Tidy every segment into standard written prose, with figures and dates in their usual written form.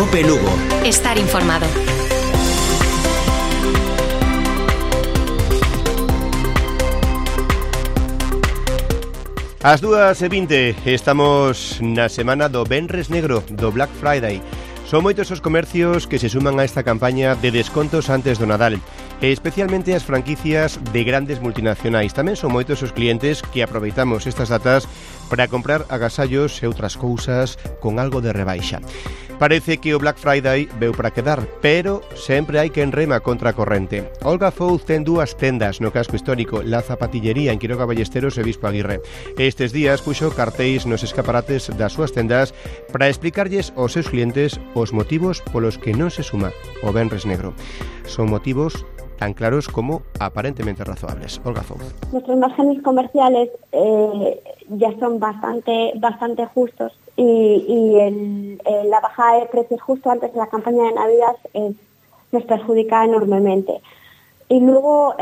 Cope Lugo. Estar informado. Ás 2:20 estamos na semana do Venres Negro, do Black Friday. Son moitos os comercios que se suman a esta campaña de descontos antes do Nadal, e especialmente as franquicias de grandes multinacionais. Tamén son moitos os clientes que aproveitamos estas datas para comprar agasallos e outras cousas con algo de rebaixa. Parece que o Black Friday veu para quedar, pero sempre hai quen rema contra a corrente. Olga Fouz ten dúas tendas no casco histórico, La Zapatillería en Quiroga Ballesteros e Bispo Aguirre. Estes días puxo cartéis nos escaparates das súas tendas para explicarlles aos seus clientes os motivos polos que non se suma o Venres Negro. Son motivos tan claros como aparentemente razoables. Olga Fouz. Nuestros márgenes comerciales ya son bastante justos y la bajada de precios justo antes de la campaña de Navidad nos perjudica enormemente. Y luego,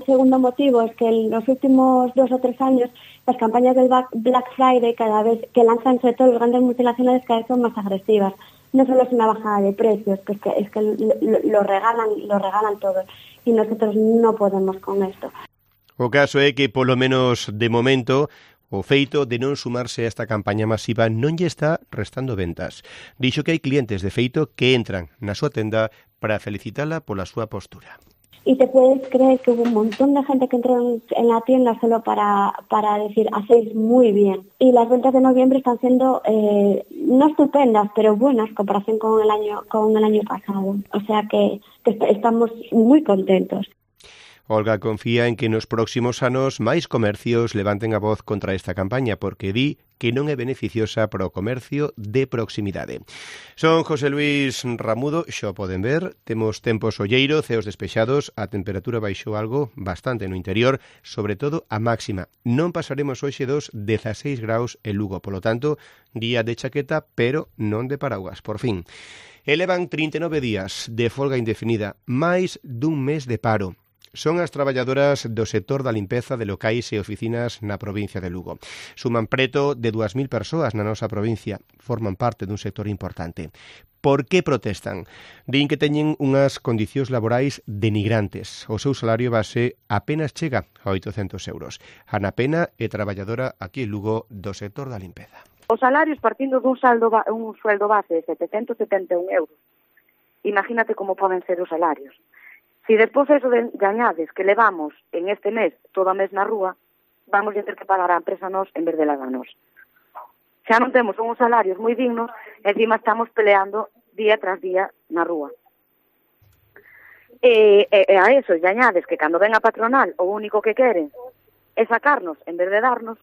segundo motivo, es que en los últimos 2 o 3 años las campañas del Black Friday cada vez que lanzan sobre todo los grandes multinacionales cada vez son más agresivas. No solo es una bajada de precios, que es que lo regalan todo y nosotros no podemos con esto. O caso é que, polo menos de momento, o feito de non sumarse a esta campaña masiva non lle está restando ventas. Dixo que hai clientes de feito que entran na súa tenda para felicitala pola súa postura. Y te puedes creer que hubo un montón de gente que entró en la tienda solo para decir, hacéis muy bien. Y las ventas de noviembre están siendo no estupendas, pero buenas en comparación con el año pasado. O sea que estamos muy contentos. Olga confía en que nos próximos anos máis comercios levanten a voz contra esta campaña, porque di que non é beneficiosa para o comercio de proximidade. Son José Luis Ramudo, xo poden ver, temos tempo solleiro, ceos despexados, a temperatura baixou algo bastante no interior, sobre todo a máxima. Non pasaremos hoxe dos 16 graus en Lugo, polo tanto, día de chaqueta, pero non de paraugas, por fin. Elevan 39 días de folga indefinida, máis dun mes de paro. Son as traballadoras do sector da limpeza de locais e oficinas na provincia de Lugo. Suman preto de 2.000 persoas na nosa provincia. Forman parte dun sector importante. Por que protestan? Din que teñen unhas condicións laborais denigrantes. O seu salario base apenas chega a 800 euros. Ana Pena é traballadora aquí en Lugo do sector da limpeza. Os salarios partindo dun sueldo base de 771 euros. Imagínate como poden ser os salarios. Si despois eso de añades que levamos en este mes, todo o mes na rúa, vamos a ter que pagar a empresa nos en vez de lavanos. Xa non temos uns salarios moi dignos, e encima estamos peleando día tras día na rúa. E a eso de añades que cando ven a patronal o único que queren é sacarnos en vez de darnos.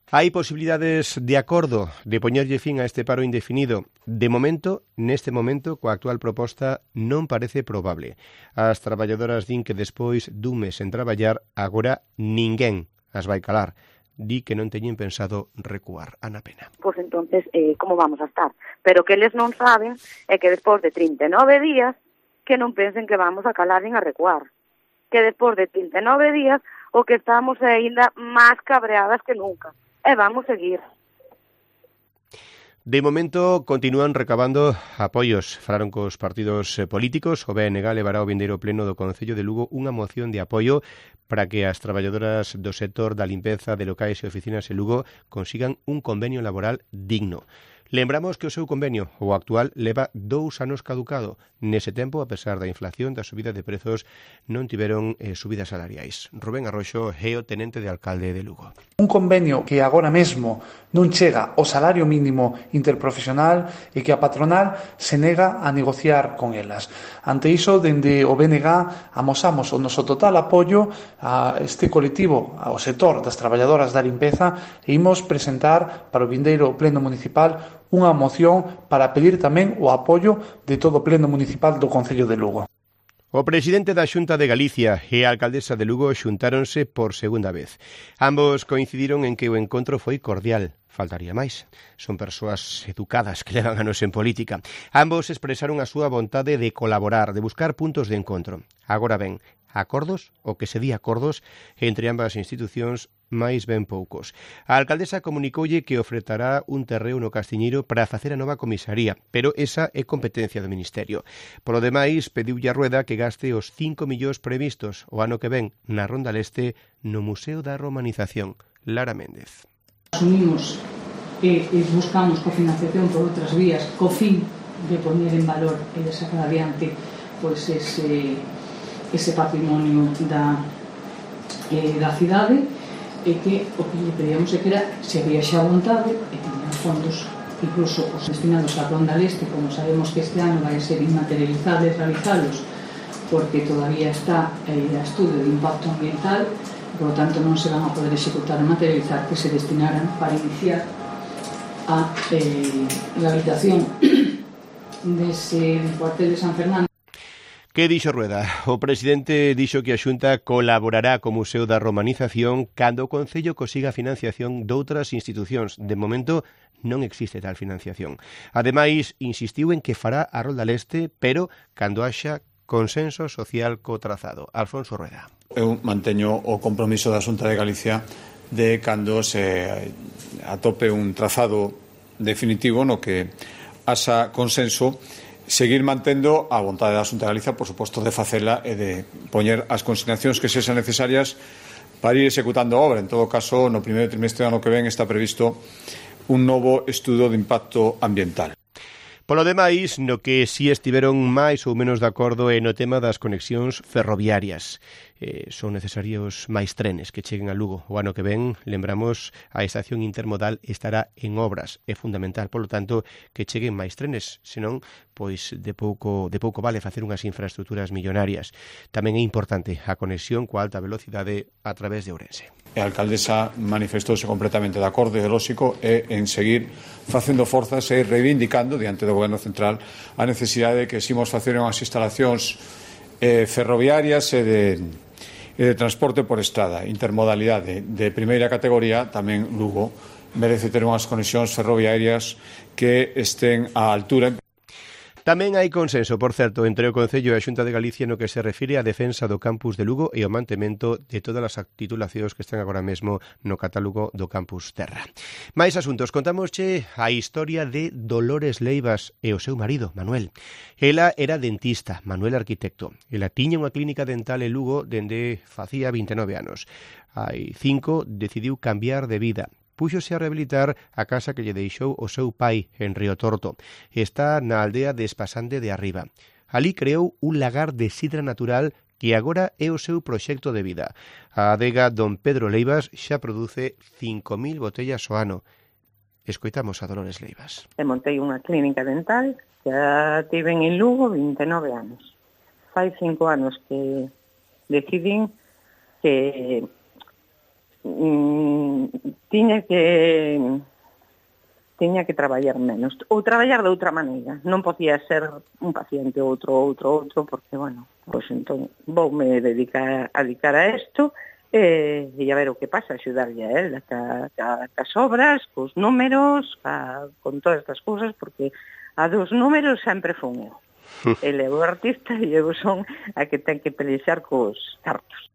Hai posibilidades de acordo de poñerlle fin a este paro indefinido. De momento, neste momento, coa actual proposta, non parece probable. As traballadoras din que despois dun mes en traballar, agora ninguén as vai calar. Di que non teñen pensado recuar. Ana Pena. Pois entonces, como vamos a estar? Pero que eles non saben é que despois de 39 días, que non pensen que vamos a calar nin a recuar. Que despois de 39 días, o que estamos ainda máis cabreadas que nunca. E vamos seguir. De momento continúan recabando apoios. Falaron cos partidos políticos. O BNG levará ao vindeiro pleno do Concello de Lugo unha moción de apoio para que as traballadoras do sector da limpeza de locais e oficinas en Lugo consigan un convenio laboral digno. Lembramos que o seu convenio, o actual, leva 2 anos caducado. Nese tempo, a pesar da inflación, da subida de prezos, non tiveron subidas salariais. Rubén Arroxo é o tenente de alcalde de Lugo. Un convenio que agora mesmo non chega ao salario mínimo interprofesional e que a patronal se nega a negociar con elas. Ante iso, dende o BNG, amosamos o noso total apoio a este colectivo, ao sector das traballadoras da limpeza, e imos presentar para o vindeiro pleno municipal unha moción para pedir tamén o apoio de todo o pleno municipal do Concello de Lugo. O presidente da Xunta de Galicia e a alcaldesa de Lugo xuntáronse por segunda vez. Ambos coincidiron en que o encontro foi cordial. Faltaría máis. Son persoas educadas que levan anos en política. Ambos expresaron a súa vontade de colaborar, de buscar puntos de encontro. Agora ben, acordos, o que se di acordos, entre ambas institucións máis ben poucos. A alcaldesa comunicoulle que ofrecerá un terreo no Castiñeiro para facer a nova comisaría, pero esa é competencia do Ministerio. Polo demais, pediulle a Rueda que gaste os 5 millóns previstos o ano que ven na Ronda Leste no Museo da Romanización. Lara Méndez. Asumimos e buscamos cofinanciación por outras vías co fin de poñer en valor e de sacar adiante pois ese patrimonio da cidade, e que o que lle pedíamos é que era se había xa vontade e tiñan fondos incluso os destinados á Ronda Leste, como sabemos que este ano vai ser inmaterializado e realizalos porque todavía está a estudio de impacto ambiental, por lo tanto non se van a poder executar e materializar, que se destinaran para iniciar a rehabilitación dese cuartel de San Fernando. Que dixo Rueda? O presidente dixo que a Xunta colaborará co Museo da Romanización cando o Concello consiga financiación doutras institucións. De momento non existe tal financiación. Ademais, insistiu en que fará a Rolda Leste, pero cando haxa consenso social co trazado. Alfonso Rueda. Eu manteño o compromiso da Xunta de Galicia de cando se atope un trazado definitivo no que haxa consenso, seguir mantendo a vontade da Xunta de Galicia, por suposto, de facela e de poñer as consignacións que sexan necesarias para ir executando a obra. En todo caso, no primeiro trimestre do ano que ven está previsto un novo estudo de impacto ambiental. Polo demais, no que si estiveron máis ou menos de acordo é no tema das conexións ferroviarias. Son necesarios máis trenes que cheguen a Lugo. O ano que ven, lembramos, a estación intermodal estará en obras. É fundamental, polo tanto, que cheguen máis trenes, senón, pois de pouco vale facer unhas infraestructuras millonarias. Tamén é importante a conexión coa alta velocidade a través de Ourense. A alcaldesa manifestouse completamente de acordo ideolóxico e en seguir facendo forzas e reivindicando diante do Goberno Central a necesidade de que eximos facer unhas instalacións ferroviarias e de transporte por estrada, intermodalidade de primeira categoría. Tamén Lugo merece ter unhas conexións ferroviarias que estén á altura. Tamén hai consenso, por certo, entre o Concello e a Xunta de Galicia no que se refire á defensa do campus de Lugo e ao mantemento de todas as titulacións que están agora mesmo no catálogo do campus Terra. Mais asuntos, contámosche a historia de Dolores Leivas e o seu marido, Manuel. Ela era dentista, Manuel arquitecto. Ela tiña unha clínica dental en Lugo dende facía 29 anos. Hai 5 decidiu cambiar de vida. Púxose a rehabilitar a casa que lle deixou o seu pai en Río Torto. Está na aldea de Espasande de Arriba. Alí creou un lagar de sidra natural que agora é o seu proxecto de vida. A adega Don Pedro Leivas xa produce 5.000 botellas ao ano. Escoitamos a Dolores Leivas. Montei unha clínica dental, xa tiven en Lugo 29 anos. Fai 5 anos que decidín que tiña que traballar menos ou traballar de outra maneira. Non podía ser un paciente outro, porque, bueno, pois entón voume dedicar a isto e a ver o que pasa, axudarlle a él cas obras, cos números, con todas estas cousas, porque a dos números sempre fun eu. Ele é o artista e eu son a que ten que pelexar cos cartos.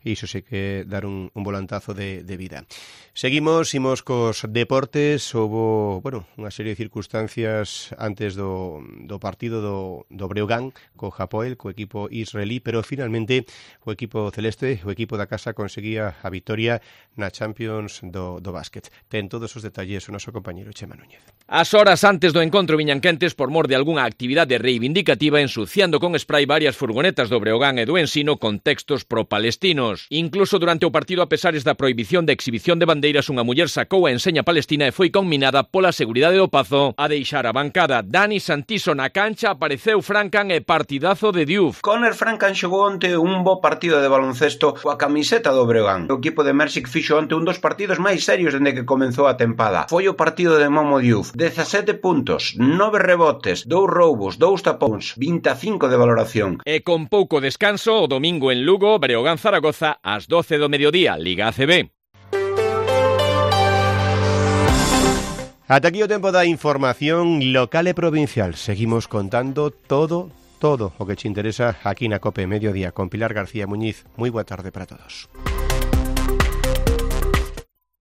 Iso sei que dar un volantazo de vida. Seguimos, imos cos deportes. Houbo, unha serie de circunstancias antes do partido do Breogán co Hapoel, co equipo israelí, pero finalmente o equipo celeste, o equipo da casa, conseguía a vitoria na Champions do básquet. Ten todos os detalles o noso compañeiro Chema Núñez. As horas antes do encontro viñan quentes por mor de algunha actividade reivindicativa, ensuciando con spray varias furgonetas do Breogán e do Ensino con textos pro-palestinos. Incluso durante o partido, a pesares da prohibición de exhibición de bandeiras, unha muller sacou a enseña palestina e foi conminada pola seguridade do Pazo a deixar a bancada. Dani Santiso na cancha, apareceu Francan e partidazo de Diouf. Conner Francan xogou onte un bo partido de baloncesto coa camiseta do Breogán. O equipo de Mersic fixo onte un dos partidos máis serios dende que comenzou a tempada. Foi o partido de Momo Diouf. 17 puntos, 9 rebotes, 2 roubos, 2 tapóns, 25 de valoración. E con pouco descanso, o domingo en Lugo, Breogán Zaragoza ás 12 do mediodía, Liga ACB. Ata aquí o tempo da información local e provincial. Seguimos contando todo o que te interesa aquí na COPE Mediodía con Pilar García Muñiz. Moi boa tarde para todos.